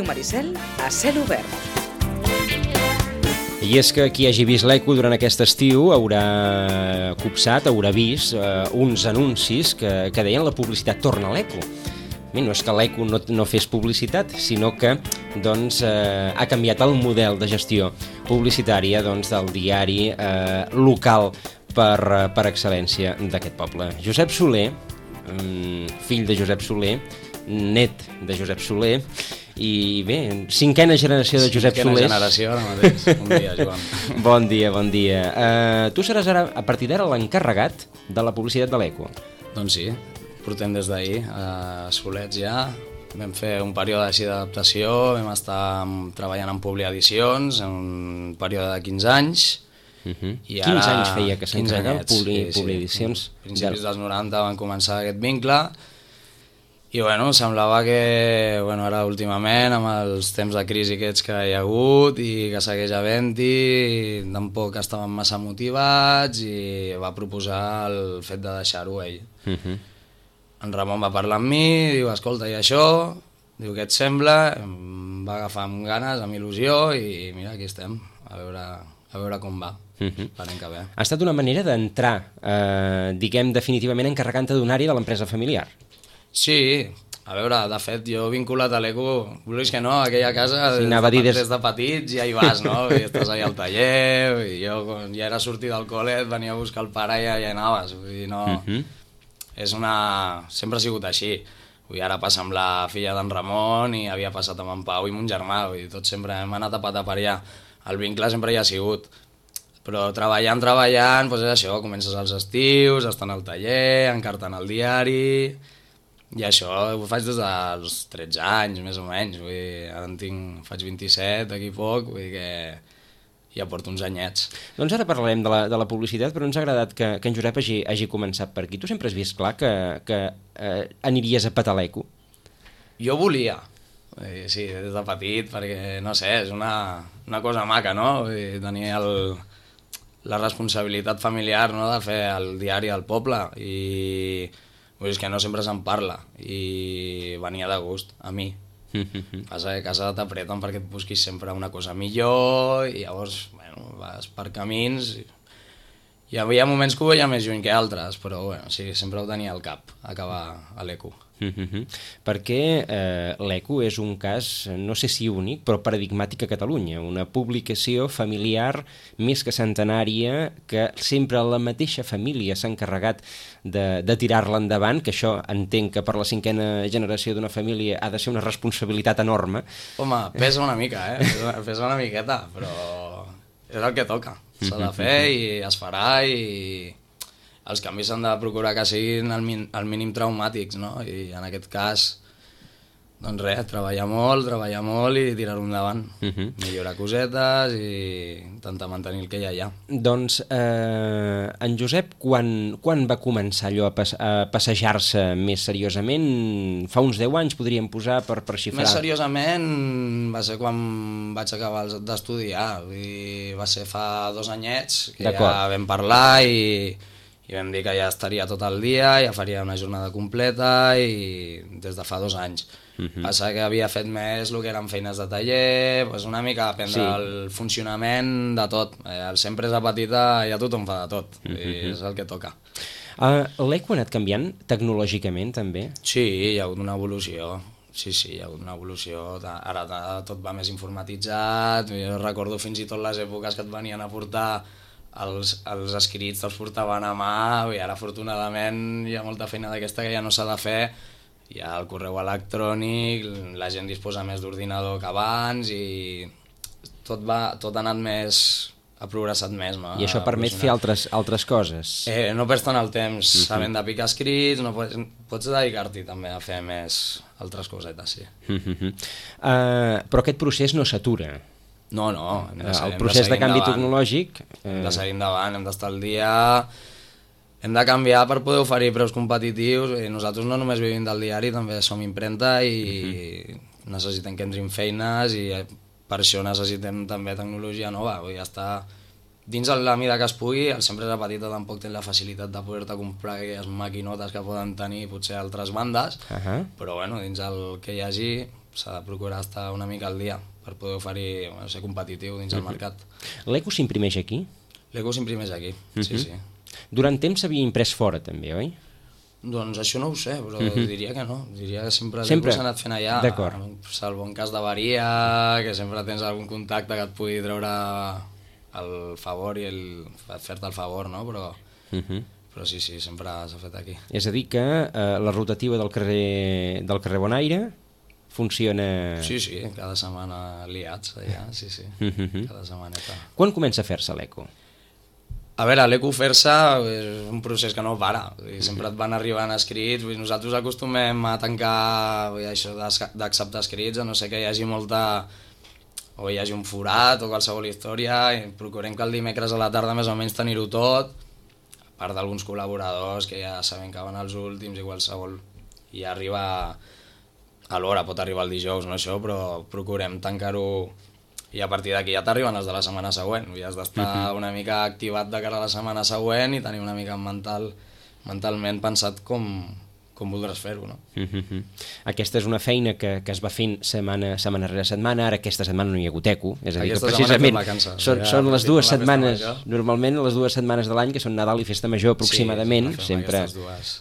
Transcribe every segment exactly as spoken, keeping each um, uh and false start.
Ràdio Maricel a cel obert. I és que qui hagi vist l'Eco durant aquest estiu haurà copsat, haurà vist eh, uns anuncis que, que deien la publicitat torna a l'Eco. Bé, no és que l'Eco no, no fes publicitat, sinó que doncs, eh, ha canviat el model de gestió publicitària doncs, del diari eh, local per, per excel·lència d'aquest poble. Josep Soler, fill de Josep Soler, net de Josep Soler, i bé, cinquena generació de Josep Solers. Cinquena generació ara mateix. Bon dia, Joan. Bon dia, bon dia. Uh, tu seràs ara, a partir d'ara, l'encarregat de la publicitat de l'Eco. Doncs sí, portem des d'ahir a Solets ja. Vam fer un període així d'adaptació, vam estar treballant en Publiedicions, en un període de quinze anys. Uh-huh. I ara... quinze anys feia que s'encarregava Publi, sí, Publiedicions. Sí. A principis dels noranta van començar aquest vincle i bueno, semblava que bueno, ara últimament amb els temps de crisi aquests que hi ha hagut i que segueix havent-hi, tampoc estaven massa motivats i va proposar el fet de deixar-ho ell. Uh-huh. En Ramon va parlar amb mi, diu, escolta, i això? Diu, què et sembla? Em va agafar amb ganes, amb il·lusió i mira, aquí estem, a veure, a veure com va. Uh-huh. Que bé. Ha estat una manera d'entrar, eh, diguem, definitivament encarregant-te d'una àrea de l'empresa familiar. Sí, a veure, de fet, jo vinculat a l'Eco, vulguis que no, a aquella casa, sí, des, de, des... des de petits ja hi vas, no? I estàs allà al taller, i jo quan ja era sortir del col·le, et venia a buscar el pare i ja, ja anaves, vull dir, no... Uh-huh. És una... Sempre ha sigut així. Vull dir, ara passa amb la filla d'en Ramon i havia passat amb en Pau i mon germà, vull dir, tots sempre hem anat a patar per allà. El vincle sempre hi ha sigut. Però treballant, treballant, doncs és això, comences als estius, estan al taller, encartant el diari, i això ho faig des dels tretze anys, més o menys, vull dir, ara en tinc, faig vint-i-set, d'aquí poc, vull dir que ja porto uns anyets. Doncs ara parlarem de la, de la publicitat, però ens ha agradat que, que en Josep hagi, hagi començat per aquí. Tu sempre has vist clar que, que eh, aniries a petar l'Eco? Jo volia, sí, des de petit, perquè, no sé, és una, una cosa maca, no? Vull dir, tenir el... la responsabilitat familiar, no?, de fer el diari al poble i vull dir, que no sempre se'n parla i venia de gust a mi. Passa que a casa t'apreten perquè et busquis sempre una cosa millor i llavors bueno, vas per camins i hi havia moments que ho veia més lluny que altres, però bueno, sí, sempre ho tenia al cap, acabar a l'Eco. Uh-huh. Perquè eh, l'Eco és un cas, no sé si únic, però paradigmàtic a Catalunya, una publicació familiar més que centenària que sempre la mateixa família s'ha encarregat de, de tirar-la endavant, que això entenc que per la cinquena generació d'una família ha de ser una responsabilitat enorme. Home, pesa una mica, eh? Pesa, pesa una miqueta, però és el que toca, s'ha de fer i es farà i... Els canvis s'han de procurar que siguin al, min, al mínim traumàtics, no? I en aquest cas, doncs res, treballar molt, treballar molt i tirar-ho endavant. Uh-huh. Millorar cosetes i intentar mantenir el que ja hi ha. Doncs eh, en Josep, quan, quan va començar allò a, pas, a passejar-se més seriosament? Fa uns deu anys podríem posar per, per xifrar. Més seriosament va ser quan vaig acabar d'estudiar. Va ser fa dos anyets que ja vam parlar i... i vam dir que ja estaria tot el dia, ja faria una jornada completa i des de fa dos anys. Uh-huh. Passa que havia fet més el que eren feines de taller, doncs una mica aprendre sí. el funcionament de tot. El sempre és a petita, ja tothom fa de tot, uh-huh. i és el que toca. Uh, L'Eco ha anat canviant tecnològicament també? Sí, hi ha hagut una evolució. Sí, sí, hi ha hagut una evolució. Ara tot va més informatitzat, jo recordo fins i tot les èpoques que et venien a portar Els, els escrits te'ls portaven a mà i ara afortunadament hi ha molta feina d'aquesta que ja no s'ha de fer, hi ha el correu electrònic, la gent disposa més d'ordinador que abans i tot, va, tot ha anat més, ha progressat més, no? I això permet fer altres, altres coses? Eh, no perds tant el temps uh-huh. sabent de picar escrits, no pots, pots dedicar-t'hi també a fer més altres cosetes, sí. Uh-huh. Uh, però aquest procés no s'atura? No, no. Hem de, el procés de, de canvi endavant. Tecnològic... Eh... Hem de seguir endavant, hem d'estar al dia, hem de canviar per poder oferir preus competitius. I nosaltres no només vivim del diari, també som impremta i uh-huh. necessitem que entrin feines i per això necessitem també tecnologia nova. Vull dir, estar dins de la mida que es pugui, el sempre és petita, tampoc té la facilitat de poder-te comprar aquelles maquinotes que poden tenir potser altres bandes, uh-huh. però bueno, dins el que hi hagi s'ha de procurar estar una mica al dia per poder oferir, bueno, ser competitiu dins el mercat. L'Eco s'imprimeix aquí? L'Eco s'imprimeix aquí, sí, sí. Durant temps s'havia imprès fora també, oi? Doncs això no ho sé, però diria que no. Diria que sempre, Sempre? l'Eco s'ha anat fent allà. D'acord. Salvo en cas d'avaria, que sempre tens algun contacte que et pugui treure el favor i el... fer-te el favor, no? Però, però sí, sí, sempre s'ha fet aquí. És a dir que eh, la rotativa del carrer, del carrer Bonaire funciona... Sí, sí, cada setmana liats allà, sí, sí, cada setmaneta. Quan comença a fer-se l'Eco? A veure, l'Eco fer-se és un procés que no para, sempre et van arribant escrits, nosaltres acostumem a tancar això d'acceptar escrits, a no ser que hi hagi molta... o hi hagi un forat o qualsevol història, i procurem que el dimecres a la tarda més o menys tenir-ho tot, a part d'alguns col·laboradors que ja sabem que van als últims i qualsevol, i ja arriba a l'hora, pot arribar el dijous, no això, però procurem tancar-ho i a partir d'aquí ja t'arriben els de la setmana següent, i has d'estar una mica activat de cara a la setmana següent i tenir una mica mental, mentalment pensat com, com voldràs fer-ho, no? Aquesta és una feina que, que es va fent setmana, setmana rere setmana, ara aquesta setmana no hi ha hagut Eco, és a dir, Aquesta que precisament vacances, són, ja, són les dues la setmanes, major. normalment les dues setmanes de l'any, que són Nadal i Festa Major aproximadament, sí, sempre,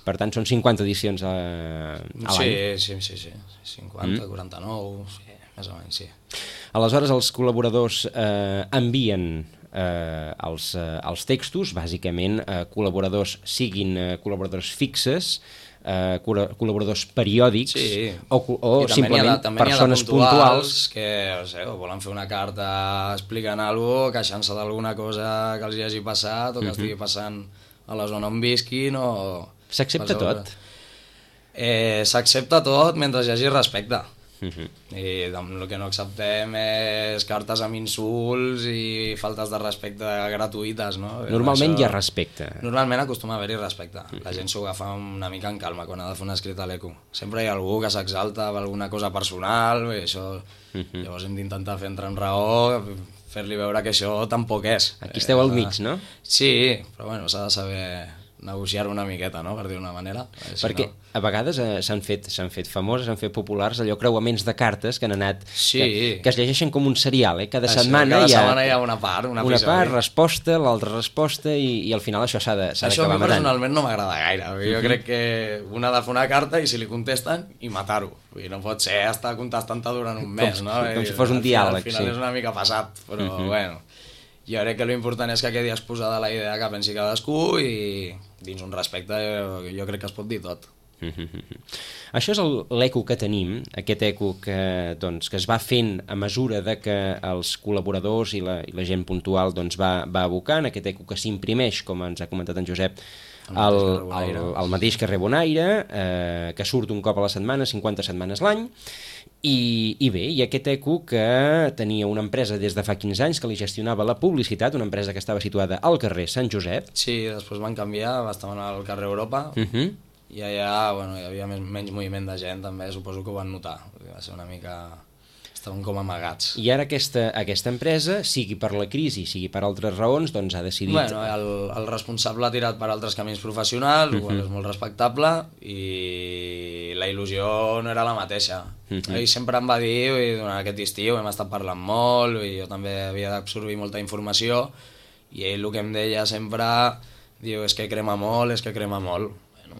per tant són cinquanta edicions a, a l'any. Sí, sí, sí, sí, cinquanta, mm. quaranta-nou, sí, més o menys, sí. Aleshores els col·laboradors eh, envien eh, els, eh, els textos, bàsicament eh, col·laboradors, siguin eh, col·laboradors fixes, eh, col·laboradors periòdics, sí. o, o simplement de, persones puntuals, puntuals que o sé, o volen fer una carta explicant alguna cosa, queixant-se d'alguna cosa que els hi hagi passat o que uh -huh. estigui passant a la zona on visquin o... S'accepta tot? Eh, S'accepta tot mentre hi hagi respecte. Uh -huh. I el que no acceptem és cartes amb insults i faltes de respecte gratuïtes, no? Normalment això... hi ha respecte. Normalment acostuma a haver-hi respecte. La gent s'ho agafa una mica en calma quan ha de fer un escrit a l'Eco. Sempre hi ha algú que s'exalta per alguna cosa personal, i això... Uh-huh. Llavors hem d'intentar fer entrar en raó, fer-li veure que això tampoc és. Aquí esteu al mig, no? Sí, però bueno, s'ha de saber negociar una miqueta, no?, per dir d'una manera. Si Perquè no... a vegades eh, s'han fet, s'han fet famoses, s'han fet populars allò creuaments de cartes que han anat... Sí. Que, que es llegeixen com un serial, eh? Cada això, setmana, cada hi, ha, setmana hi ha una part, una, una part, resposta, l'altra resposta, i, i al final això s'ha d'acabar matant. Això a mi personalment no m'agrada gaire. Jo uh-huh. crec que un ha de fer una carta i si li contesten, i matar-ho. No pot ser estar contestant-te durant un mes, com, no? Com si fos un diàleg, al final sí. és una mica passat, però uh-huh. bueno... Jo crec que l'important és que quedi exposada la idea que pensi cadascú i dins un respecte jo, jo crec que es pot dir tot. Això és l'Eco que tenim, aquest Eco que, doncs, que es va fent a mesura de que els col·laboradors i la, i la gent puntual doncs, va, va abocant, aquest Eco que s'imprimeix, com ens ha comentat en Josep, al, al, al mateix carrer Bonaire, eh, que surt un cop a la setmana, cinquanta setmanes l'any, I, i bé, i aquest Eco que tenia una empresa des de fa quinze anys que li gestionava la publicitat, una empresa que estava situada al carrer Sant Josep. Sí, després van canviar, estaven al carrer Europa, uh -huh. i allà bueno, hi havia més, menys moviment de gent també, suposo que ho van notar, va ser una mica... estaven com amagats. I ara aquesta, aquesta empresa, sigui per la crisi, sigui per altres raons, doncs ha decidit... Bueno, el, el responsable ha tirat per altres camins professionals, uh-huh. el és molt respectable, i la il·lusió no era la mateixa. Uh-huh. Ell sempre em va dir, i durant aquest estiu hem estat parlant molt, i jo també havia d'absorbir molta informació, i ell el que em deia sempre, diu, és que crema molt, és que crema molt. Bueno.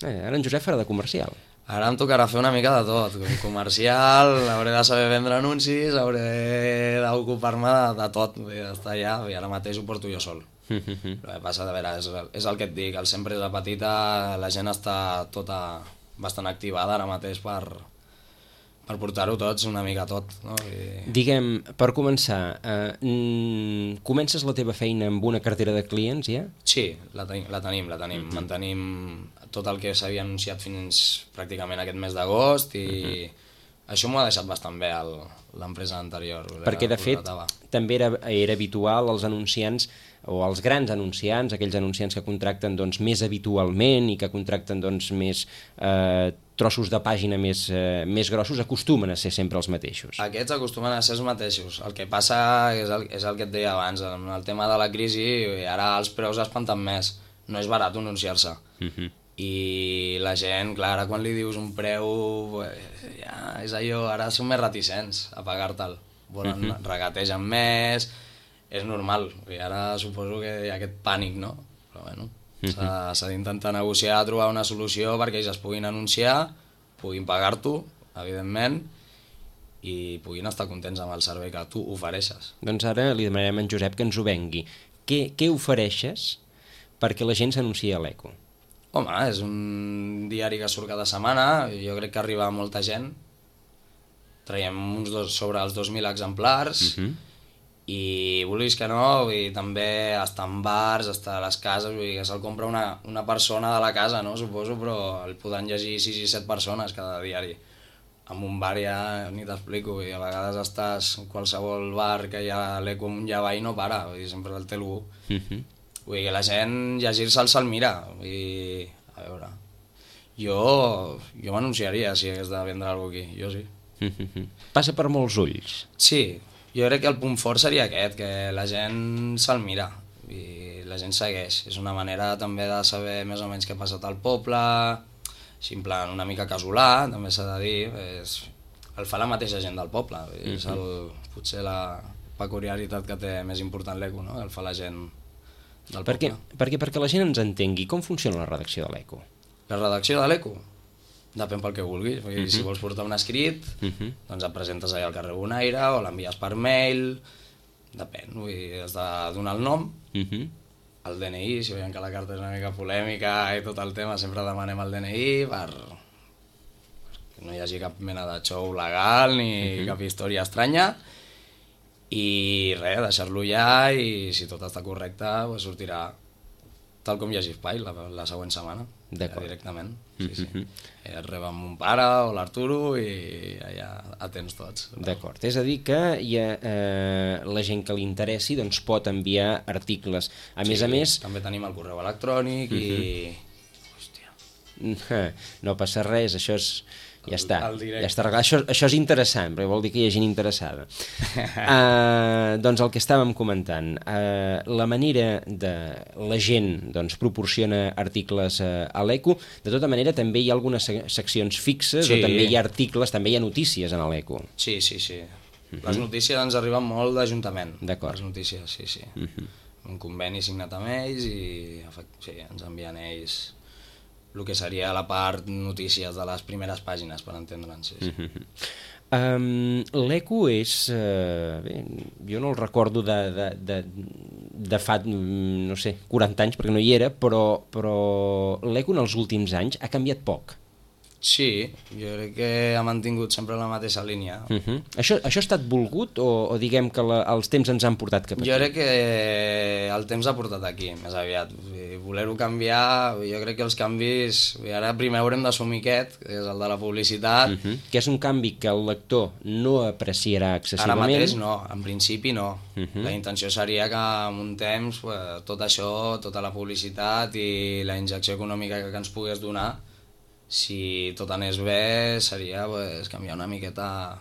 Eh, ara en Josep farà de comercial. Ara em tocarà fer una mica de tot, com comercial, hauré de saber vendre anuncis, hauré d'ocupar-me de, de tot, d'estar allà, i ara mateix ho porto jo sol. El que passa, de veure, és, és el que et dic, al empresa petita la gent està tota bastant activada ara mateix per, per portar-ho tots una mica tot. No? I... Diguem, per començar, eh, comences la teva feina amb una cartera de clients, ja? Sí, la, ten la tenim, la tenim. Uh-huh. Mantenim tot el que s'havia anunciat fins pràcticament aquest mes d'agost i uh-huh. això m'ho ha deixat bastant bé l'empresa anterior. Perquè, de fet, també era, era habitual els anunciants o els grans anunciants, aquells anunciants que contracten doncs, més habitualment i que contracten doncs, més eh, trossos de pàgina més, eh, més grossos, acostumen a ser sempre els mateixos. Aquests acostumen a ser els mateixos. El que passa és el, és el que et deia abans, amb el tema de la crisi, ara els preus espanten més. No és barat anunciar-se. Uh-huh. i la gent, clar, ara quan li dius un preu, pues, ja és allò, ara són més reticents a pagar-te'l, volen, uh -huh. regategen més, és normal, i ara suposo que hi ha aquest pànic, no? Però bueno, uh -huh. s'ha d'intentar negociar, trobar una solució perquè ells es puguin anunciar, puguin pagar-t'ho, evidentment, i puguin estar contents amb el servei que tu ofereixes. Doncs ara li demanarem a en Josep que ens ho vengui. Què, què ofereixes perquè la gent s'anunciï a l'Eco? Home, és un diari que surt cada setmana, jo crec que arriba a molta gent, traiem uns dos, sobre els dos mil exemplars, uh -huh. i vulguis que no, i també està en bars, està a les cases, vull dir que se'l compra una, una persona de la casa, no, suposo, però el podran llegir sis i set persones cada diari. En un bar ja ni t'explico, i a vegades estàs en qualsevol bar que hi ha l'Eco amunt i avall i no para, vull dir, sempre el té algú. Uh -huh. Vull dir que la gent llegir-se'l se'l mira, i a veure, jo, jo m'anunciaria si hagués de vendre alguna cosa aquí, jo sí. Passa per molts ulls. Sí, jo crec que el punt fort seria aquest, que la gent se'l mira i la gent segueix. És una manera també de saber més o menys què ha passat al poble, així en plan una mica casolà, també s'ha de dir, és, el fa la mateixa gent del poble, és el, potser la peculiaritat que té més important l'Eco, no? El fa la gent del per què? poble. Perquè, perquè la gent ens entengui, com funciona la redacció de l'Eco? La redacció de l'Eco? Depèn pel que vulguis. Vull dir, uh -huh. Si vols portar un escrit, uh -huh. doncs et presentes allà al carrer Bonaire o l'envies per mail, depèn. Vull dir, has de donar el nom, uh -huh. el D N I, si veiem que la carta és una mica polèmica i tot el tema, sempre demanem el D N I per que no hi hagi cap mena de xou legal ni uh -huh. cap història estranya, i res, deixar-lo allà, i si tot està correcte, doncs sortirà tal com hi hagi espai la, la següent setmana, ja, directament. Sí, sí. Uh -huh. Et reba amb mon pare o l'Arturo i allà atents tots. D'acord, és a dir que hi ha, eh, la gent que li interessi doncs pot enviar articles. A sí, més a més... també tenim el correu electrònic uh -huh. i... Hòstia. No passa res, això és... Ja està, ja està arreglat. Això, això és interessant, perquè vol dir que hi ha gent interessada. uh, doncs el que estàvem comentant, uh, la manera de... La gent doncs, proporciona articles uh, a l'Eco, de tota manera també hi ha algunes seccions fixes, sí. O també hi ha articles, també hi ha notícies en l'Eco. Sí, sí, sí. Uh -huh. Les notícies ens arriben molt d'Ajuntament. D'acord. Les notícies, sí, sí. Uh -huh. Un conveni signat amb ells i sí, ens envien ells... el que seria la part notícies de les primeres pàgines, per entendre'ns. Sí, sí. Uh-huh. um, L'Eco és... Uh, bé, jo no el recordo de, de, de, de fa, no sé, quaranta anys, perquè no hi era, però, però l'Eco en els últims anys ha canviat poc. Sí, jo crec que ha mantingut sempre la mateixa línia. Uh-huh. Això, això ha estat volgut o, o diguem que la, els temps ens han portat cap aquí? Jo crec que el temps ha portat aquí, més aviat. Voler-ho canviar, jo crec que els canvis... Ara primer haurem d'assumir aquest, que és el de la publicitat. Uh-huh. Que és un canvi que el lector no apreciarà excessivament. Ara mateix no, en principi no. Uh-huh. La intenció seria que en un temps pues, tot això, tota la publicitat i la injecció econòmica que, que ens pogués donar, si tot anés bé, seria pues, canviar una miqueta,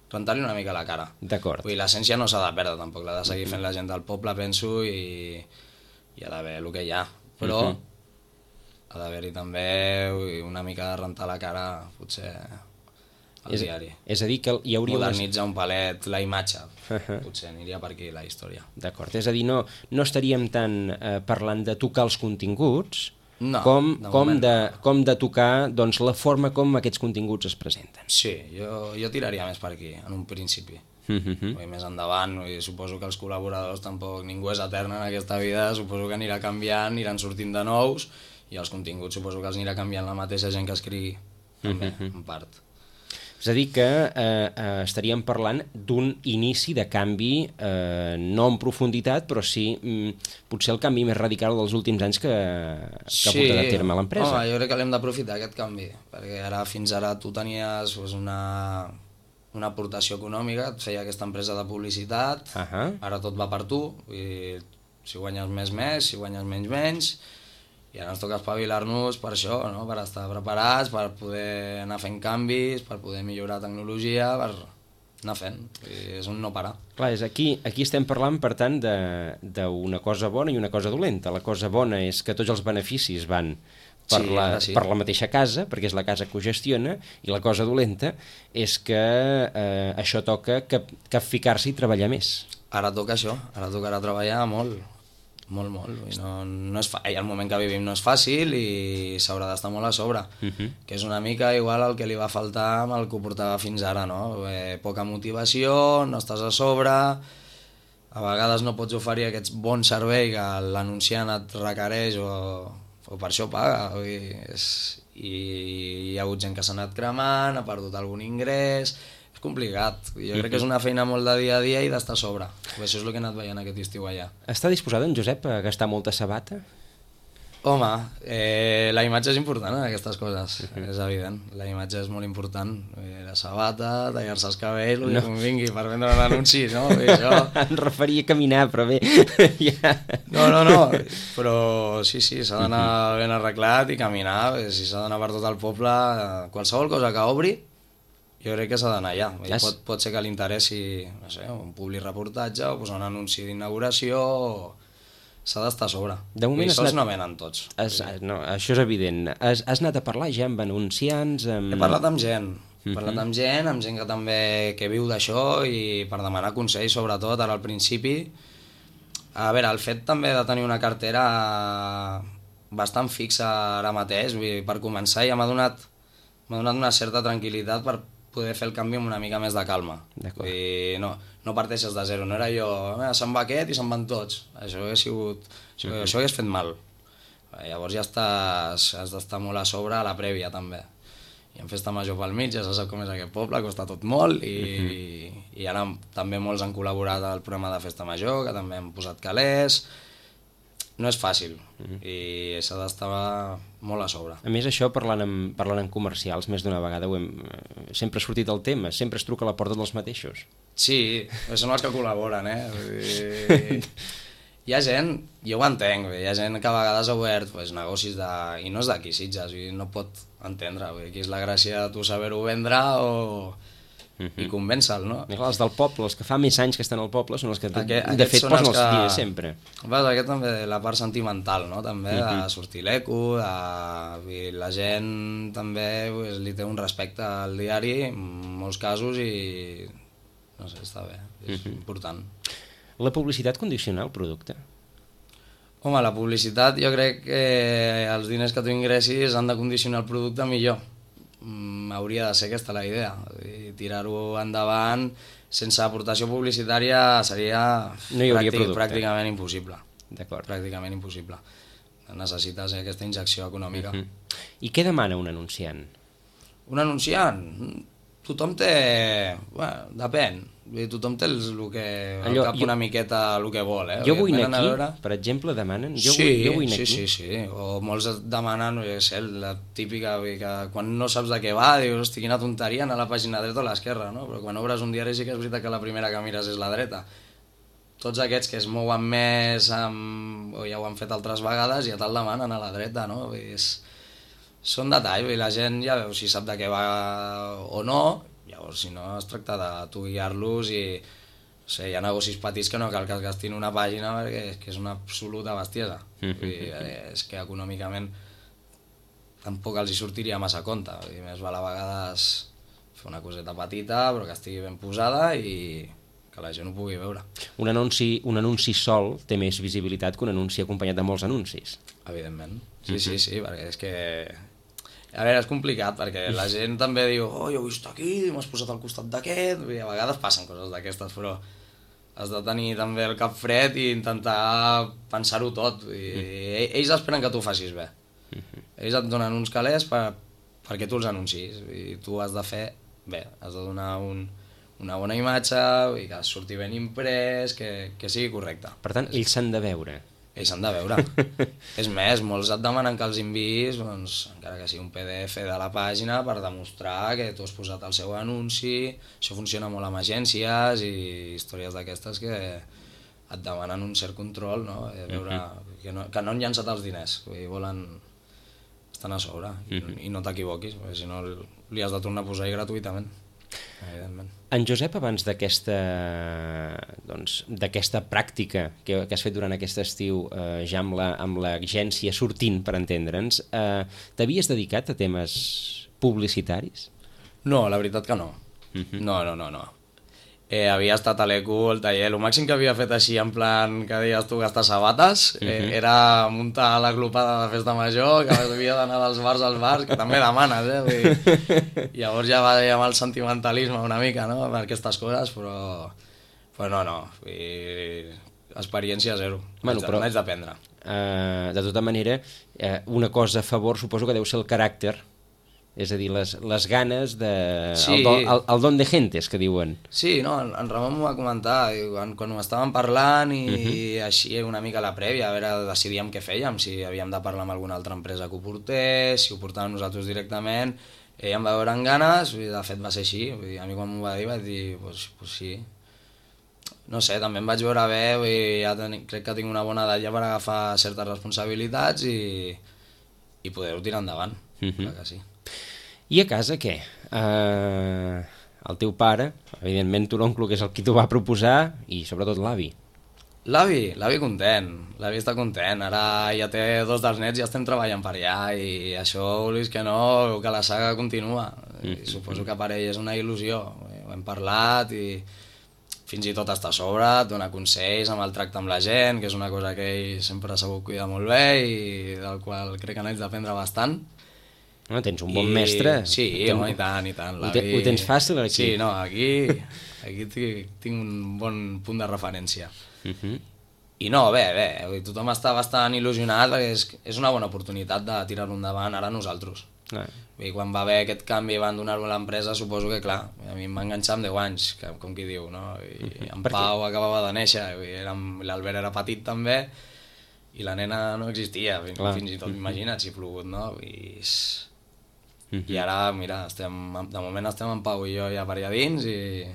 rentar-li una mica la cara. D'acord. Vull dir, l'essència no s'ha de perdre tampoc, l'ha de seguir fent la gent del poble, penso, i hi ha d'haver el que hi ha. Però uh -huh. ha d'haver-hi també una mica de rentar la cara, potser, al és, diari. És a dir, que hi hauria... Modernitzar un palet la imatge, uh -huh. potser aniria per aquí la història. D'acord, és a dir, no, no estaríem tant eh, parlant de tocar els continguts, No, com, de com, moment de, no. com de tocar doncs, la forma com aquests continguts es presenten. Sí, jo, jo tiraria més per aquí, en un principi. Uh-huh. I més endavant, i suposo que els col·laboradors tampoc, ningú és etern en aquesta vida, suposo que anirà canviant, aniran sortint de nous, i els continguts suposo que els anirà canviant la mateixa gent que escrigui, també, uh-huh. en part. És a dir que eh, eh, estaríem parlant d'un inici de canvi, eh, no en profunditat, però sí mm, potser el canvi més radical dels últims anys que, que sí. ha portat a terme l'empresa. Home, jo crec que l'hem d'aprofitar, aquest canvi, perquè ara fins ara tu tenies pues, una, una aportació econòmica, et feia aquesta empresa de publicitat, uh-huh. Ara tot va per tu, i si guanyes més, més, si guanyes menys, menys, i ara ens toca espavilar-nos per això, no? Per estar preparats, per poder anar fent canvis, per poder millorar tecnologia, per, anar fent, és un no parar. Clar, és aquí, aquí estem parlant, per tant, d'una cosa bona i una cosa dolenta. La cosa bona és que tots els beneficis van per, Sí, la, ara sí. per la mateixa casa, perquè és la casa que ho gestiona, i la cosa dolenta és que eh, això toca que, que ficar-s'hi i treballar més. Ara toca això, ara tocarà treballar molt, molt, molt. I no, no és fa... I el moment que vivim no és fàcil i s'haurà d'estar molt a sobre, uh -huh. que és una mica igual el que li va faltar amb el que ho portava fins ara, no? Eh, poca motivació, no estàs a sobre, a vegades no pots oferir aquest bon servei que l'anunciant et requereix o, o per això paga. Vull dir, és... I hi ha hagut gent que s'ha anat cremant, ha perdut algun ingrés... És complicat. Jo crec que és una feina molt de dia a dia i d'estar a sobre. Això és el que he anat veient aquest estiu allà. Està disposat en Josep a gastar molta sabata? Home, eh, la imatge és important en aquestes coses, uh-huh. és evident. La imatge és molt important. Eh, la sabata, tallar-se els cabells, el que no. convingui per vendre un anunci, no? I això... Em referia a caminar, però bé... ja. No, no, no, però sí, sí, s'ha d'anar ben arreglat i caminar. Si s'ha d'anar per tot el poble, qualsevol cosa que obri, jo crec que s'ha d'anar allà. Yes. Pot, pot ser que li interessi, no sé, un public reportatge o posar un anunci d'inauguració... S'ha d'estar a sobre. De moment I sols anat... no venen tots. Has, no, això és evident. Has, has anat a parlar ja amb anunciants? Amb... He parlat amb gent. He uh-huh. parlat amb gent, amb gent que també que viu d'això i per demanar consells, sobretot, ara al principi. A veure, el fet també de tenir una cartera bastant fixa ara mateix, vull dir, per començar ja m'ha donat, m'ha donat una certa tranquil·litat per poder fer el canvi amb una mica més de calma. Vull dir, no, no parteixes de zero, no era jo, eh, se'n va aquest i se'n van tots. Això hauria sigut... Això, uh-huh. això hagués fet mal. Llavors ja estàs, has d'estar molt a sobre a la prèvia, també. I en festa major pel mig, ja se sap com és aquest poble, costa tot molt, i, uh-huh. i ara també molts han col·laborat al programa de festa major, que també han posat calés. No és fàcil, uh-huh. i s'ha d'estar molt a sobre. A més, això, parlant amb, parlant amb comercials, més d'una vegada ho hem, sempre ha sortit el tema, sempre es truca a la porta dels mateixos. Sí, són els que col·laboren, eh? I... Hi ha gent, jo ho entenc, hi ha gent que a vegades ha obert pues, negocis de... i no és d'aquí, Sitges, no pot entendre, aquí és la gràcia de tu saber-ho vendre o... Uh-huh. i convèncer-lo, no? I clar, els del poble, els que fa més anys que estan al poble, són els que Aquest, de fet posen els que... diners sempre. Vas, aquest també, la part sentimental, no? També, uh-huh. de sortir l'eco, de... la gent també pues, li té un respecte al diari, en molts casos, i no sé, està bé, és uh-huh. important. La publicitat condiciona el producte? Home, la publicitat jo crec que els diners que tu ingressis han de condicionar el producte millor. Mm, hauria de ser aquesta la idea. Tirar-ho endavant sense aportació publicitària seria no pràctic, pràcticament impossible. D'acord. Pràcticament impossible. Necessites aquesta injecció econòmica. Uh-huh. I què demana un anunciant? Un anunciant? Tothom té... Bueno, depèn. Tothom té el, el que, el Allò, cap jo, una miqueta el que vol, eh? Jo vull anar aquí, veure... per exemple, demanen... Jo sí, vull, jo vull sí, aquí. sí, sí, o molts demanen, no sé, la típica, que quan no saps de què va, dius, hosti, quina tonteria, anar a la pàgina dreta o a l'esquerra, no? Però quan obres un diari sí que és veritat que la primera que mires és la dreta. Tots aquests que es mouen més, amb... o ja ho han fet altres vegades, ja te'l demanen a la dreta, no? És... Són detalls, i la gent ja veu si sap de què va o no. Llavors, si no, es tracta de tu guiar-los i... No sé, hi ha negocis petits que no cal que es gastin una pàgina perquè és que és una absoluta bestiesa. Vull dir, és que econòmicament tampoc els hi sortiria massa compte. Vull dir, més val a vegades fer una coseta petita però que estigui ben posada i que la gent ho pugui veure. Un anunci, un anunci sol té més visibilitat que un anunci acompanyat de molts anuncis. Evidentment. Sí, sí, sí, perquè és que... A veure, és complicat, perquè la gent també diu oh, jo he vist aquí, m'has posat al costat d'aquest, i a vegades passen coses d'aquestes, però has de tenir també el cap fred i intentar pensar-ho tot. I ells esperen que tu ho facis bé. Ells et donen uns calés per, perquè tu els anuncis, i tu has de fer bé, has de donar un, una bona imatge, i que surti ben imprès, que, que sigui correcte. Per tant, ells s'han de veure. Ells s'han de veure. És més, molts et demanen que els enviïs, doncs, encara que sigui un P D F de la pàgina, per demostrar que tu has posat el seu anunci. Això funciona molt amb agències i històries d'aquestes que et demanen un cert control, no? Veure que, no, que no han llançat els diners, vull dir, volen estar a sobre i, i no t'equivoquis, perquè si no li has de tornar a posar-hi gratuïtament. evidentment. En Josep, abans d'aquesta doncs, d'aquesta pràctica que, que has fet durant aquest estiu, eh, ja amb la, amb l'agència sortint, per entendre'ns, eh, t'havies dedicat a temes publicitaris? No, la veritat que no. Uh-huh. No, no, no, no. Eh, havia estat a l'E Q, al taller, el màxim que havia fet així en plan que deies tu gastar sabates, uh-huh. eh, era muntar la glopada de festa major, que havia d'anar dels bars als bars, que també demanes, eh? Vull dir, llavors ja va amb el sentimentalisme una mica, no?, per aquestes coses, però, però no, no, vull dir, experiència zero, bueno, però, n'haig d'aprendre. Uh, de tota manera, uh, una cosa a favor suposo que deu ser el caràcter, és a dir, les, les ganes de... Sí. El, do, el, el don de gentes, que diuen. Sí, no, en, en Ramon m'ho va comentar, quan, quan ho estàvem parlant i, uh-huh. i així una mica a la prèvia, a veure, decidíem què fèiem, si havíem de parlar amb alguna altra empresa que ho portés, si ho portàvem nosaltres directament, ell em va veure amb ganes, i de fet va ser així, vull dir, a mi quan m'ho va dir vaig dir, pues, pues sí. No sé, també em vaig veure bé, vull dir, ja ten, crec que tinc una bona edat ja per agafar certes responsabilitats i, i poder-ho tirar endavant, uh-huh. clar que sí. I a casa què? Uh, el teu pare, evidentment tu l'oncle, que és el qui t'ho va proposar, i sobretot l'avi. L'avi, l'avi content, l'avi està content, ara ja té dos dels nets i ja estem treballant per allà i això, vulguis que no, que la saga continua. I suposo que per ell és una il·lusió, ho hem parlat i fins i tot està a sobre, et dona consells amb el tracte amb la gent, que és una cosa que ell sempre ha sabut cuidar molt bé i del qual crec que n'haig d'aprendre bastant. No, tens un bon I... mestre. Sí, ten... home, i tant, i tant. Ho, te... Ho tens fàcil aquí? Sí, no, aquí, aquí tinc un bon punt de referència. Uh-huh. I no, bé, bé, tothom està bastant il·lusionat perquè és, és una bona oportunitat de tirar-ho endavant ara nosaltres. Ah. I quan va haver aquest canvi i van donar-ho a l'empresa, suposo que, clar, a mi em va enganxar amb deu anys, que, com qui diu, no? I uh-huh. en Pau acabava de néixer, l'Albert era petit també, i la nena no existia, clar. Fins i tot, imagina't, si ha plogut, no? I... Uh-huh. I ara, mira, estem, de moment estem en Pau i jo ja per allà dins i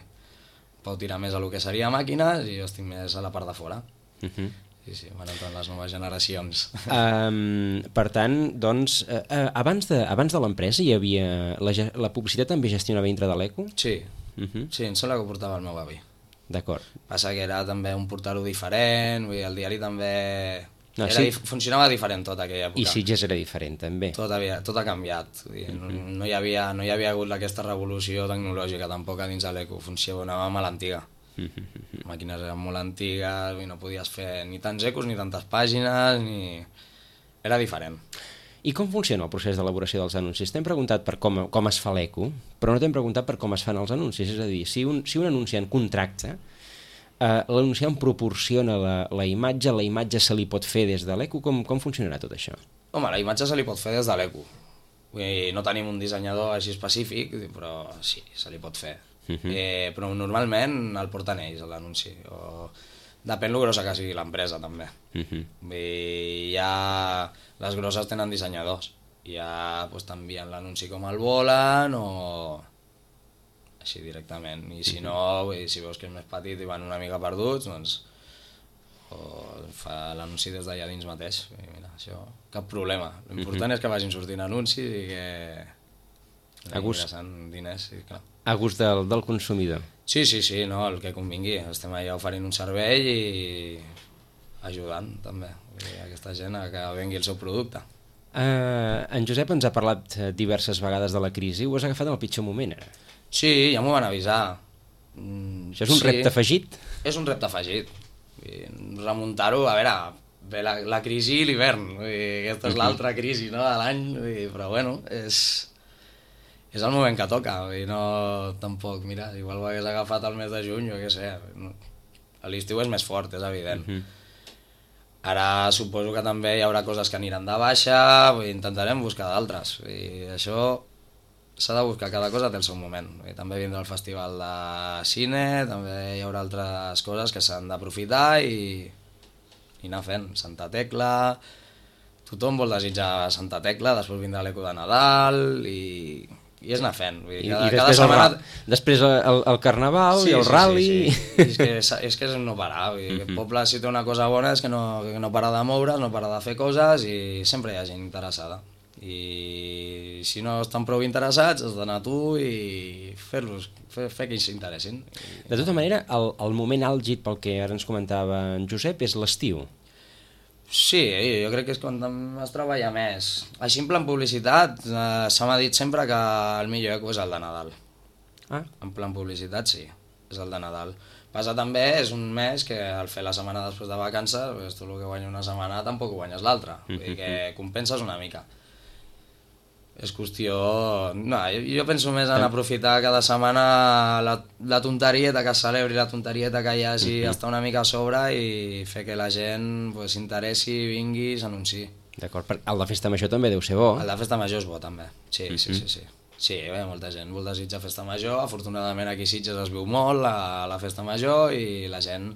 Pau tira més a lo que seria màquines i jo estic més a la part de fora. Uh-huh. Sí, sí, van entrant les noves generacions. Um, per tant, doncs, uh, uh, abans de, abans de l'empresa hi havia... La, la publicitat també gestionava dintre de l'E Q? Sí, uh-huh. sí, em sembla que ho portava el meu avi. D'acord. Passa que era també un portar-ho diferent, vull dir, el diari també... No, era, sí. Funcionava diferent tot aquella època. I Sitges era diferent també. Tot, havia, tot ha canviat. No, no, hi havia, no hi havia hagut aquesta revolució tecnològica tampoc a dins de l'E Q. Funcionava a l'antiga. Les màquines eren molt antigues i no podies fer ni tants ecos ni tantes pàgines, ni... era diferent. I com funciona el procés d'elaboració dels anuncis? T'hem preguntat per com, com es fa l'E Q, però no t'hem preguntat per com es fan els anuncis. És a dir, si un, si un anunciant contracta, Uh, l'anunciant proporciona la, la imatge, la imatge se li pot fer des de l'E Q, com, com funcionarà tot això? Home, la imatge se li pot fer des de l'E Q. Vull dir, no tenim un dissenyador així específic, però sí, se li pot fer. Uh-huh. eh, però normalment el porten ells, l'anunci. O... Depèn lo grossa que sigui l'empresa, també. Uh-huh. Vull dir, ja les grosses tenen dissenyadors. Ja pues, t'envien l'anunci com el volen o... així directament, i si no, si veus que és més petit i van una mica perduts, doncs o fa l'anunci des d'allà dins mateix. Mira, això, cap problema. L'important uh-huh. és que vagin sortint anuncis i que ingressant diners, sí, clar. A gust del, del consumidor. Sí, sí, sí, no, el que convingui. Estem allà oferint un servei i ajudant també a aquesta gent a que vengui el seu producte. Uh, en Josep ens ha parlat diverses vegades de la crisi. Ho has agafat en el pitjor moment, ara? Sí, ja m'ho van avisar. Això és un sí, repte afegit? És un repte afegit. Remuntar-ho, a veure, ve la, la crisi i l'hivern. Aquesta és l'altra crisi, no?, de l'any, però bueno, és, és el moment que toca. No, tampoc, mira, igual ho hagués agafat el mes de juny, o què sé. A l'estiu és més fort, és evident. Uh-huh. Ara suposo que també hi haurà coses que aniran de baixa, intentarem buscar d'altres. Això... s'ha de buscar, cada cosa té el seu moment. I també vindrà el festival de cine, també hi haurà altres coses que s'han d'aprofitar i, i anar fent. Santa Tecla, tothom vol desitjar Santa Tecla, després vindrà l'Eco de Nadal i, i és anar fent. Vull dir, cada, I, i després, cada setmana... el, després el, el Carnaval sí, i el sí, rally... Sí, sí. És, que, és que és no parar. Vull dir, uh-huh. El poble, si té una cosa bona, és que no, que no para de moure's, no para de fer coses i sempre hi ha gent interessada. I si no estan prou interessats, has d'anar tu i fer-los, fer, fer que ells s'interessin. De tota manera, el, el moment àlgid pel que ara ens comentava en Josep és l'estiu. Sí, jo crec que és quan es treballa més. Així en plan publicitat, eh, se m'ha dit sempre que el millor eco és el de Nadal. Ah. En plan publicitat sí, és el de Nadal. Passa també, és un mes que al fer la setmana després de vacances, pues, tu el que guanya una setmana tampoc ho guanyes l'altra, vull dir que compenses una mica. És qüestió... No, jo, jo penso més en aprofitar cada setmana la, la tonterieta que es celebri, la tonterieta que hi hagi, uh -huh. estar una mica a sobre i fer que la gent pues, s'interessi, vingui i s'anunciï. D'acord, el de Festa Major també deu ser bo. El de Festa Major és bo també, sí, uh -huh. sí, sí, sí. Sí, bé, molta gent vol desitjar Festa Major, afortunadament aquí a Sitges es viu molt a la Festa Major i la gent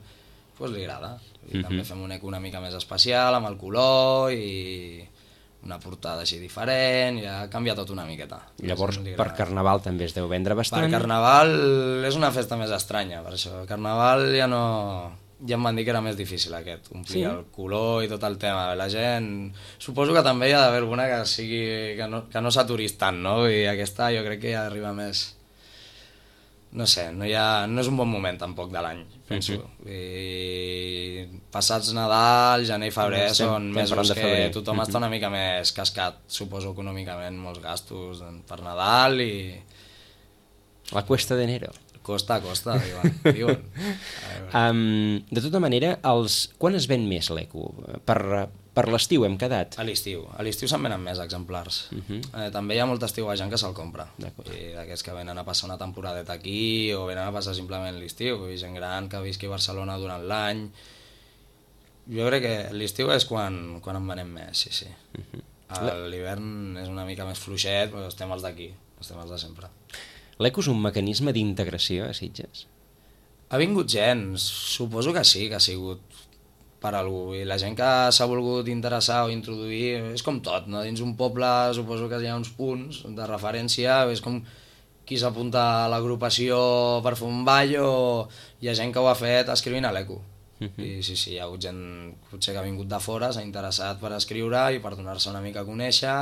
pues, li agrada. I uh -huh. també fem un eco una mica més especial, amb el color i una portada així diferent, ja ha canviat tot una miqueta. Llavors, per Carnaval també es deu vendre bastant? Per Carnaval és una festa més estranya, per això. Carnaval ja no... Ja em van dir que era més difícil aquest, omplir sí? el color i tot el tema. La gent... Suposo que també hi ha d'haver alguna que sigui... que no, que no s'aturis tant, no? I aquesta jo crec que ja arriba més... No sé, no, hi ha, no és un bon moment tampoc de l'any, penso. Uh-huh. I passats Nadal, gener i febrer estem, són estem mesos que febrer. tothom uh-huh. està una mica més cascat, suposo econòmicament, molts gastos per Nadal i... La cuesta d'enero. Costa, costa, diuen. diuen. um, de tota manera, els... quan es ven més l'eco? Per, per l'estiu hem quedat? A l'estiu. A l'estiu se'n venen més exemplars. Uh-huh. eh, també hi ha molt estiuejant que se'l compra. I d'aquests que venen a passar una temporadeta aquí o venen a passar simplement l'estiu. I gent gran que visqui a Barcelona durant l'any. Jo crec que l'estiu és quan, quan en venem més, sí, sí. Uh-huh. L'hivern és una mica més fluixet, però estem els d'aquí, estem els de sempre. L'eco és un mecanisme d'integració a Sitges? Ha vingut gent, suposo que sí, que ha sigut per algú, i la gent que s'ha volgut interessar o introduir, és com tot, no? Dins un poble suposo que hi ha uns punts de referència, és com qui s'apunta a l'agrupació per fer un ball o hi ha gent que ho ha fet escrivint a l'eco. Uh-huh. I sí, sí, hi ha hagut gent potser que ha vingut de fora, s'ha interessat per escriure i per donar-se una mica a conèixer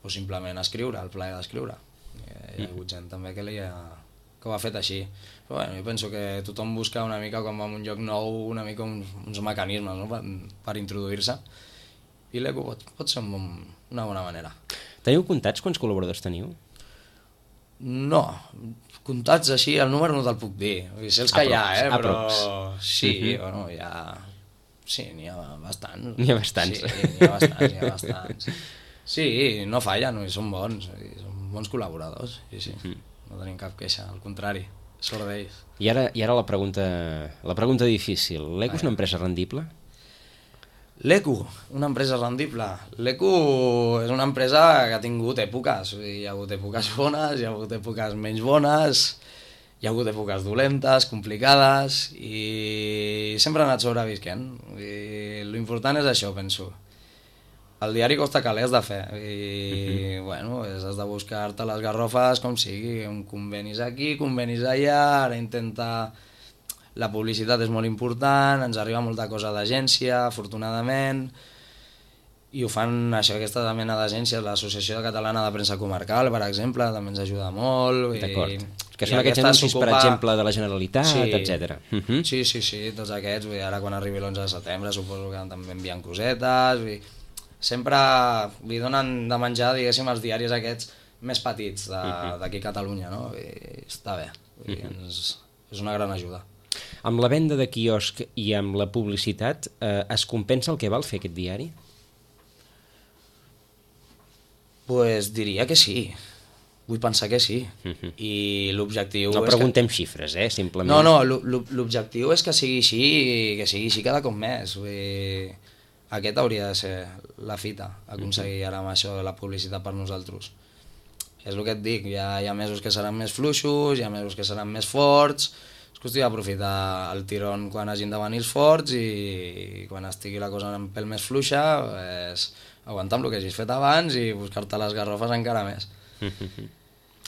o simplement escriure, el plaer d'escriure. Hi ha hagut gent també que, li ha, que ho ha fet així. Però bueno, jo penso que tothom busca una mica, quan va a un lloc nou, una mica uns, uns mecanismes, no? per, per introduir-se. I l'eco pot, pot ser un bon, una bona manera. Teniu comptats quants col·laboradors teniu? No, comptats així, el número no te'l puc dir. Sé els que aprox, hi ha, eh? però aprox. sí, uh-huh. bueno, hi ha... Sí, n'hi ha bastants. N'hi ha bastants. Sí, n'hi ha bastants, n'hi ha bastants. Sí, no fallen, són bons, són bons col·laboradors, sí, sí. Uh-huh. No tenim cap queixa, al contrari, sort d'ells. I ara, i ara la pregunta, la pregunta difícil. L'Eco és una empresa rendible? L'Eco, una empresa rendible. L'Eco és una empresa que ha tingut èpoques. Hi ha hagut èpoques bones, hi ha hagut èpoques menys bones, hi ha hagut èpoques dolentes, complicades, i sempre ha anat sobrevisquent. I l'important és això, penso. El diari costa calés de fer i, uh-huh. bueno, has de buscar-te les garrofes com sigui, un convenis aquí, convenis allà, ara intenta... La publicitat és molt important, ens arriba molta cosa d'agència, afortunadament, i ho fan això, aquesta mena d'agències, l'Associació Catalana de Premsa Comarcal, per exemple, també ens ajuda molt. D'acord, que són aquests anuncis, per exemple, de la Generalitat, sí, etcètera. Uh-huh. Sí, sí, sí, tots aquests, vull dir, ara quan arribi l'onze de setembre suposo que també envien cosetes, vull dir, sempre li donen de menjar, diguéssim, els diaris aquests més petits d'aquí a Catalunya, no? I està bé, i ens, és una gran ajuda. Amb la venda de quiosc i amb la publicitat, eh, es compensa el que val fer aquest diari? Pues diria que sí, vull pensar que sí, uh-huh. I l'objectiu... No preguntem que... xifres, eh, simplement. No, no, l'objectiu és que sigui així i que sigui així cada cop més, vull dir... Aquest hauria de ser la fita, aconseguir ara amb això de la publicitat per nosaltres. És el que et dic, hi ha, hi ha mesos que seran més fluixos, hi ha mesos que seran més forts, és qüestió d'aprofitar el tirón quan hagin de venir els forts i quan estigui la cosa un pèl més fluixa, és aguantar amb el que hagis fet abans i buscar-te les garrofes encara més.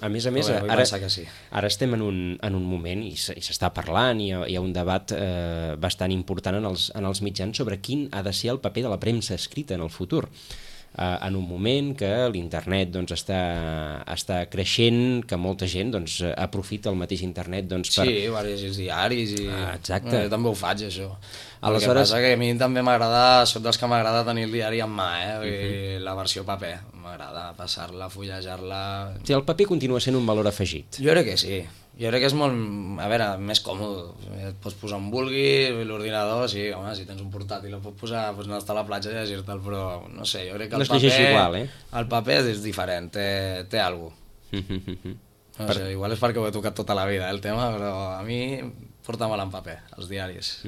A més a més, bé, ara, sí. ara estem en un, en un moment i s'està parlant, i hi ha, hi ha un debat eh, bastant important en els, en els mitjans sobre quin ha de ser el paper de la premsa escrita en el futur. en un moment que l'internet doncs, està, està creixent, que molta gent doncs, aprofita el mateix internet doncs, per... Sí, diversos diaris i... Ah, exacte. Jo també ho faig, això. Aleshores... El que passa que a mi també m'agrada, soc dels que m'agrada tenir el diari en mà, eh? Uh -huh. La versió paper, m'agrada passar-la, fullejar-la... Sí, el paper continua sent un valor afegit. Jo crec que sí. Jo crec que és molt, a veure, més còmode. Et pots posar on vulguis, l'ordinador, sí, home, si tens un portàtil el pots posar, pots anar a estar a la platja i llegir-te'l, però no sé, jo crec que el no es llegeix paper... igual, eh? El paper és diferent, té, té alguna cosa. No sé, igual és perquè ho he tocat tota la vida, eh, el tema, però a mi porta mal en paper, els diaris.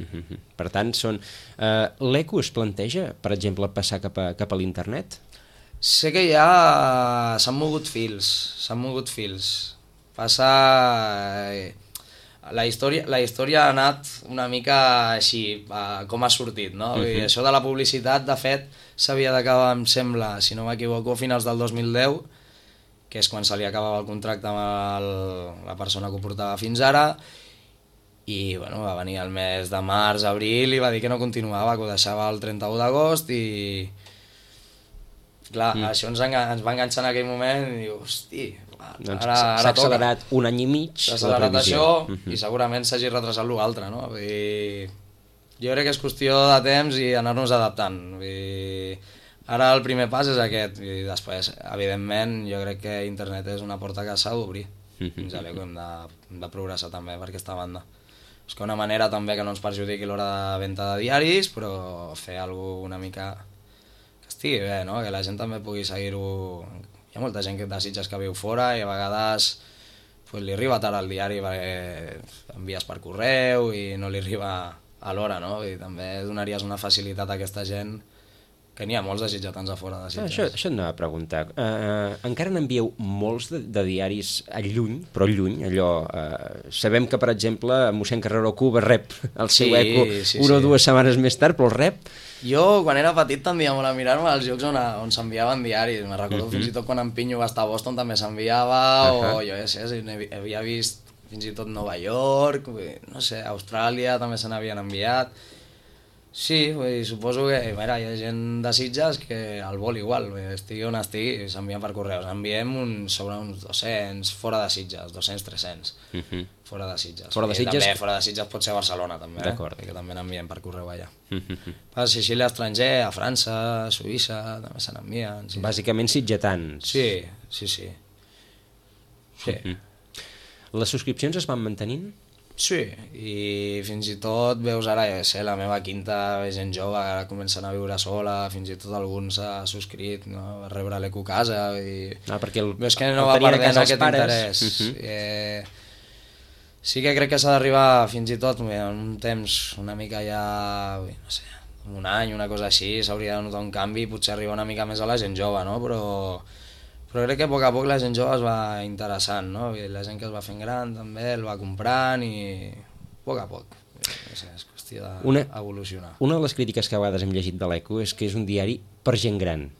Per tant, són... Uh, l'Eco es planteja, per exemple, passar cap a, cap a l'internet? Sé que ja s'han mogut fils, s'han mogut fils. Passa... La història, la història ha anat una mica així, com ha sortit, no? Uh -huh. I això de la publicitat, de fet, s'havia d'acabar, em sembla, si no m'equivoco, a finals del dos mil deu, que és quan se li acabava el contracte amb el, la persona que ho portava fins ara, i bueno, va venir el mes de març, abril, i va dir que no continuava, que ho deixava el trenta-u d'agost, i... Clar, mm. això ens, ens va enganxar en aquell moment, i diu, hosti... Doncs s'ha accelerat un any i mig s'ha accelerat això uh -huh. i segurament s'hagi retrasat l'altre, no? I jo crec que és qüestió de temps i anar-nos adaptant. I ara el primer pas és aquest i després, evidentment, jo crec que internet és una porta que s'ha d'obrir. Uh -huh. Fins a l'Eco hem, hem de progressar també per aquesta banda. És que una manera també que no ens perjudiqui l'hora de venda de diaris, però fer alguna cosa una mica que estigui bé, no? Que la gent també pugui seguir-ho. Hi ha molta gent que desitges que viu fora i a vegades pues, li arriba tard al diari perquè envies per correu i no li arriba a l'hora, no? I també donaries una facilitat a aquesta gent que n'hi ha molts desitjatants a fora de Sitges. Això, això anava a preguntar. Uh, encara n'envieu molts de, de diaris a lluny, però lluny, allò... Uh, sabem que, per exemple, mossèn Carreró Cuba rep el seu sí, eco sí, una o sí. dues setmanes més tard, però el rep... Jo, quan era petit, tendia molt a mirar-me als llocs on, on s'enviaven diaris. Me recordo uh -huh. fins i tot quan en Pinyo va estar a Boston també s'enviava, uh -huh. o jo ja sé, havia vist fins i tot Nova York, no sé, Austràlia també se n'havien enviat. Sí, vull dir, suposo que mira, hi ha gent de Sitges que el vol igual, estigui on estigui, s'envien per correus. Enviem un, sobre uns dos-cents fora de Sitges, dos-cents tres-cents uh -huh. fora de Sitges. Fora de Sitges? També fora de Sitges pot ser Barcelona, també, eh? Que també n'enviem per correu allà. Uh -huh. Per Sicília estranger, a França, a Suïssa, també se n'envien. Sí. Bàsicament sitgetans. Sí, sí, sí. Sí. Uh -huh. Les subscripcions es van mantenint? Sí, i fins i tot veus ara, ja sé, la meva quinta, gent jove, ara comencen a viure sola, fins i tot algun s'ha subscrit, no? Va rebre l'Eco Casa, i... Ah, perquè el, veus que no va perdent aquest interès. Uh -huh. eh, sí que crec que s'ha d'arribar fins i tot en un temps una mica ja, no sé, un any, una cosa així, s'hauria de notar un canvi, potser arribar una mica més a la gent jove, no? Però... Però crec que a poc a poc la gent jove es va interessant, no? I la gent que es va fent gran també el va comprant i a poc a poc. No sé, és qüestió d'evolucionar. Una, una de les crítiques que a vegades hem llegit de l'Eco és que és un diari per gent gran.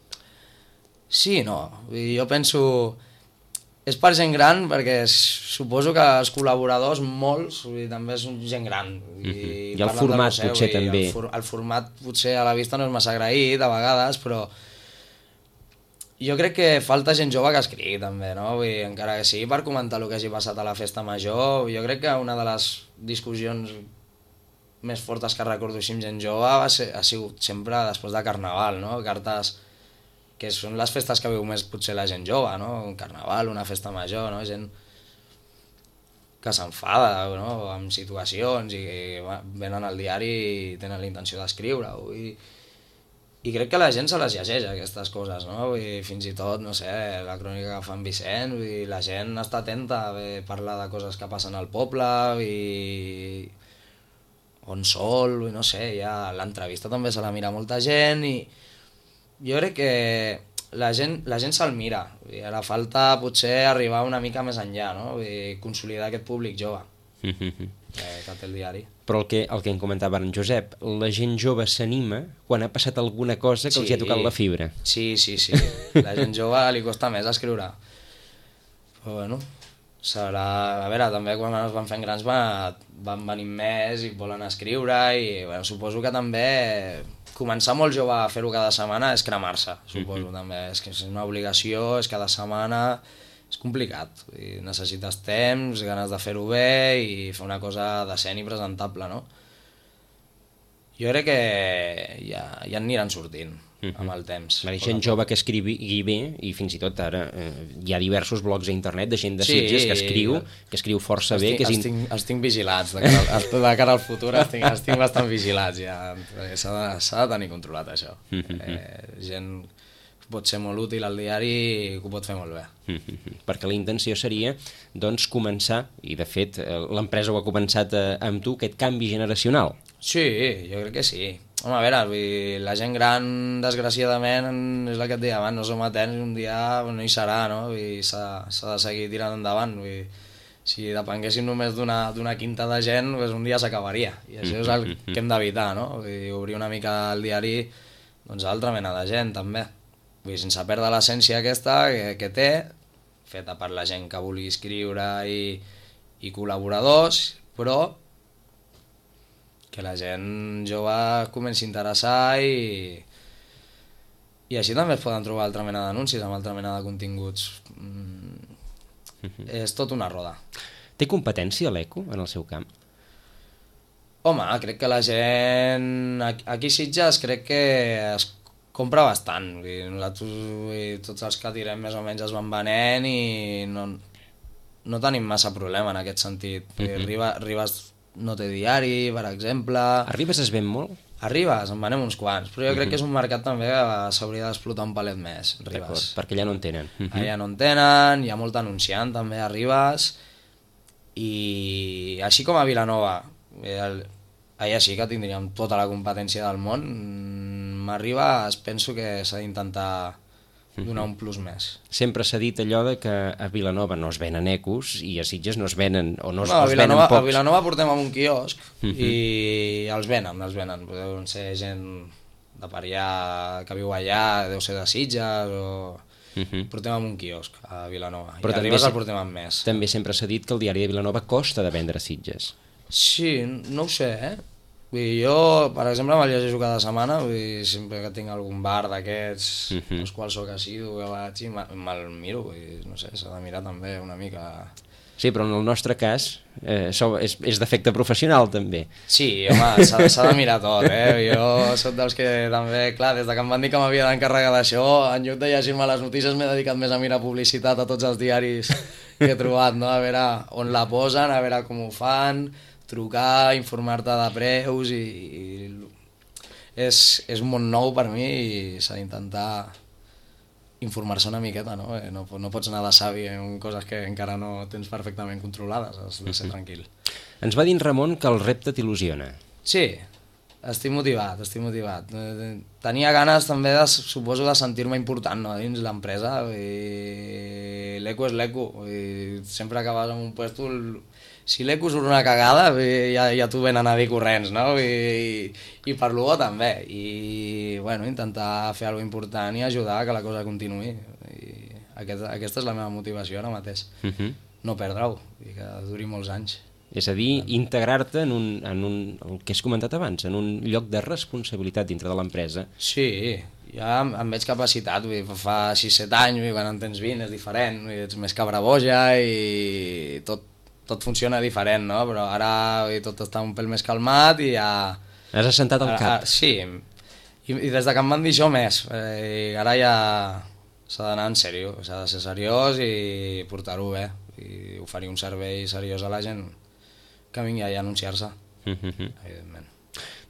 Sí, no. Jo penso... És per gent gran perquè suposo que els col·laboradors, molts, també és gent gran. I, I el format seu, potser també. El, for, el format potser a la vista no és massa agraït a vegades, però... Jo crec que falta gent jove que escrigui també, no? Vull dir, encara que sigui per comentar el que hagi passat a la festa major, jo crec que una de les discussions més fortes que recordo així amb gent jove va ser, ha sigut sempre després de Carnaval, no? Cartes que són les festes que viu més potser la gent jove, no? Un Carnaval, una festa major, no? Gent que s'enfada, no? Amb situacions i que venen al diari i tenen la intenció d'escriure-ho i... I crec que la gent se les llegeix, aquestes coses, no? Vull dir, fins i tot, no sé, la crònica que fa en Vicent, vull dir, la gent està atenta a parlar de coses que passen al poble, i... on sol, i no sé, ja l'entrevista també se la mira molta gent, i jo crec que la gent, la gent se'l mira, vull dir, ara falta potser arribar una mica més enllà, no? Vull dir, consolidar aquest públic jove que, que té el diari. Però el que, el que em comentava en Josep, la gent jove s'anima quan ha passat alguna cosa que sí, els hi ha tocat la fibra. Sí, sí, sí. La gent jove li costa més escriure. Però bueno, serà... A veure, també quan es van fent grans va, van venint més i volen escriure i bueno, suposo que també començar molt jove a fer-ho cada setmana és cremar-se, suposo mm-hmm. també. És que és una obligació, és cada setmana, és complicat. I necessites temps, ganes de fer-ho bé i fer una cosa decent i presentable, no? Jo crec que ja, ja aniran sortint mm-hmm. amb el temps. La gent jove que escrigui bé, i fins i tot ara eh, hi ha diversos blogs a internet de gent de sí, Sitges que escriu, que escriu força els bé. Tinc, que és els, tinc, els tinc vigilats, de cara, al, de cara al futur els tinc, els tinc bastant vigilats ja. S'ha de, s'ha de tenir controlat això. Mm-hmm. Eh, gent pot ser molt útil al diari i que ho pot fer molt bé. Mm-hmm. Perquè la intenció seria doncs començar, i de fet l'empresa ho ha començat eh, amb tu, aquest canvi generacional. Sí, jo crec que sí. Home, a veure, vull dir, la gent gran, desgraciadament, és la que et deia abans, no som eterns i un dia no hi serà, no? S'ha de seguir tirant endavant. Vull dir, si depenguéssim només d'una quinta de gent, pues un dia s'acabaria. I això és el que hem d'evitar, no? Vull dir, obrir una mica el diari doncs, a altra mena de gent, també. Vull dir, sense perdre l'essència aquesta que, que té, feta per la gent que vulgui escriure i, i col·laboradors, però que la gent jove comenci a interessar i, i així també es poden trobar altra mena d'anuncis amb altra mena de continguts. Mm, mm-hmm. És tot una roda. Té competència l'Eco en el seu camp? Home, crec que la gent... Aquí a Sitges crec que es compra bastant. Vull dir, nosaltres, vull dir, tots els que tirem més o menys es van venent i no, no tenim massa problema en aquest sentit. Mm-hmm. Ribes, Ribes no té diari, per exemple. A Ribes es ven molt? A Ribes en venem uns quants, però jo crec uh-huh. que és un mercat també que s'hauria d'explotar un palet més, Ribes. Perquè allà no en tenen. Uh-huh. Allà no en tenen, hi ha molt anunciant també a Ribes, i així com a Vilanova, el, allà sí que tindríem tota la competència del món, a Ribes penso que s'ha d'intentar donar un plus més. Sempre s'ha dit allò de que a Vilanova no es venen ecos i a Sitges no es venen, o no, no es venen pocs. A Vilanova portem amb un quiosc uh-huh. i els venen, els venen. Deuen ser gent de per allà, que viu allà, deu ser de Sitges, o... Uh-huh. Portem amb un quiosc a Vilanova. Però I a Ribes el portem amb més. També sempre s'ha dit que el diari de Vilanova costa de vendre a Sitges. Sí, no ho sé, eh? Vull dir, jo, per exemple, me'l llegeixo cada setmana, vull dir, sempre que tinc algun bar d'aquests, uh-huh. els quals soc assidu, que vaig i me'l miro, vull dir, no sé, s'ha de mirar també una mica... Sí, però en el nostre cas eh, és, és d'efecte professional, també. Sí, home, s'ha de mirar tot, eh? Jo soc dels que també, clar, des de que em van dir que m'havia d'encarregar d'això, en lloc de llegir-me les notícies m'he dedicat més a mirar publicitat a tots els diaris que he trobat, no? A veure on la posen, a veure com ho fan... trucar, informar-te de preus i, i és, és un món nou per mi i s'ha d'intentar informar-se una miqueta, no? No, no pots anar de savi en coses que encara no tens perfectament controlades, has de ser tranquil. Ens va dir en Ramon que el repte t'il·lusiona. Sí, estic motivat, estic motivat. Tenia ganes també, de, suposo, de sentir-me important, no? Dins l'empresa. L'eco és l'eco. Sempre que vas en un puesto... Si l'eco surt una cagada, ja, ja t'ho venen a dir corrents, no? I, i per l'U O també. I, bueno, intentar fer alguna cosa important i ajudar que la cosa continuï. I aquest, aquesta és la meva motivació ara mateix. Uh-huh. No perdre-ho, i que duri molts anys. És a dir, integrar-te en, un, en un, el que has comentat abans, en un lloc de responsabilitat dintre de l'empresa. Sí, ja em veig capacitat, vull dir, fa sis set anys, vull dir, quan en tens vint és diferent, vull dir, ets més cabraboja i tot, tot funciona diferent, no? Però ara vull dir, tot està un pèl més calmat i ja... Has assentat el cap. Ara, sí, I, i des de que em van dir això més, eh, ara ja s'ha d'anar en sèrio, s'ha de ser seriós i portar-ho bé, i oferir un servei seriós a la gent que vingui a anunciar-se, mm-hmm. evidentment.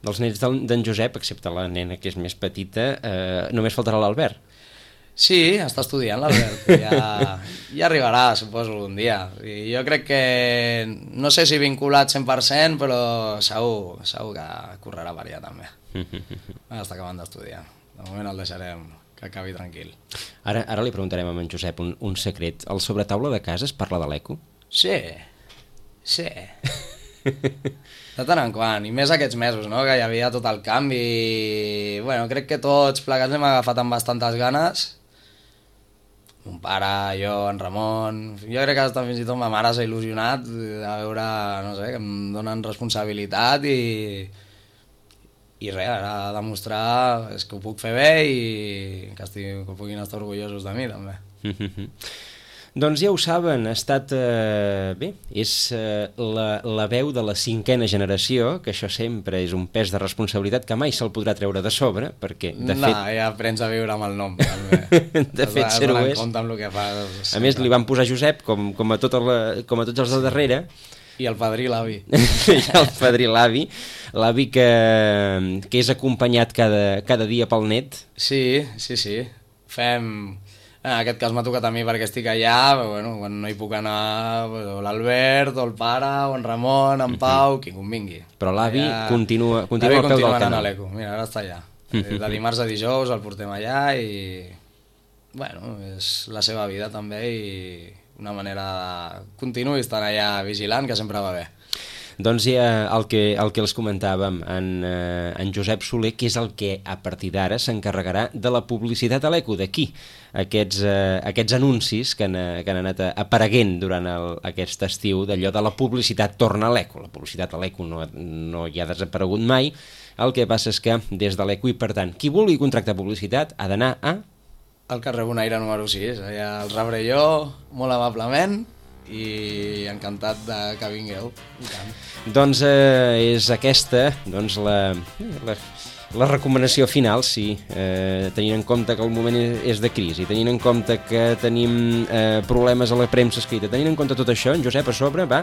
Dels nens d'en Josep, excepte la nena que és més petita, eh, només faltarà l'Albert. Sí, està estudiant l'Albert, ja, ja arribarà, suposo, un dia. I jo crec que, no sé si vinculat cent per cent, però segur, segur que correrà per allà també. Està acabant d'estudiar, de moment el deixarem que acabi tranquil. Ara, ara li preguntarem a en Josep un, un secret. El sobretaula de casa es parla de l'eco? Sí, sí. De tant en quant, i més aquests mesos, no? Que hi havia tot el canvi. Bueno, crec que tots plegats hem agafat amb bastantes ganes mon pare, jo, en Ramon... Jo crec que hasta fins i tot ma mare s'ha il·lusionat de veure, no sé, que em donen responsabilitat i... I res, ara demostrar és que ho puc fer bé i que, estic, que puguin estar orgullosos de mi, també. Doncs ja ho saben, ha estat... Eh, bé, és eh, la, la veu de la cinquena generació, que això sempre és un pes de responsabilitat que mai se'l podrà treure de sobre, perquè, de no, fet... No, ja aprens a viure amb el nom, també. de fet, ser ho és. Amb el que fas. A més, li van posar Josep, com, com, a, tota la, com a tots els de darrere. I el padrí l'avi. I el padrí l'avi, l'avi que, que és acompanyat cada, cada dia pel net. Sí, sí, sí. Fem... En aquest cas m'ha tocat a mi perquè estic allà, però bueno, quan no hi puc anar, o l'Albert, o el pare, o en Ramon, en Pau, qui convingui. Però l'avi allà... continua, continua al peu del canal. L'Eco. Mira, ara està allà. De dimarts a dijous el portem allà i... Bueno, és la seva vida també i... una manera de continuar estant allà vigilant, que sempre va bé. Doncs ja el que, el que els comentàvem, en, eh, en Josep Soler, que és el que a partir d'ara s'encarregarà de la publicitat a l'Eco, d'aquí, aquests, eh, aquests anuncis que han, que han anat apareguent durant el, aquest estiu, d'allò de la publicitat torna a l'Eco. La publicitat a l'Eco no, no hi ha desaparegut mai, el que passa és que des de l'Eco, i per tant, qui vulgui contractar publicitat ha d'anar a... Al carrer Bonaire número sis, allà el rebré jo, molt amablement, i encantat de que vingueu. Doncs eh, és aquesta doncs, la, la, la recomanació final, sí, eh, tenint en compte que el moment és de crisi, tenint en compte que tenim eh, problemes a la premsa escrita, tenint en compte tot això, en Josep a sobre va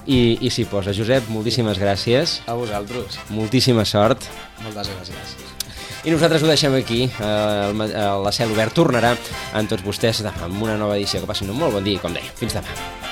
i, i s'hi posa. Josep, moltíssimes gràcies. A vosaltres. Moltíssima sort. Moltes gràcies. I nosaltres ho deixem aquí. El, el, la Cel Obert tornarà amb tots vostès demà amb una nova edició. Que passin un molt bon dia, com deia. Fins demà.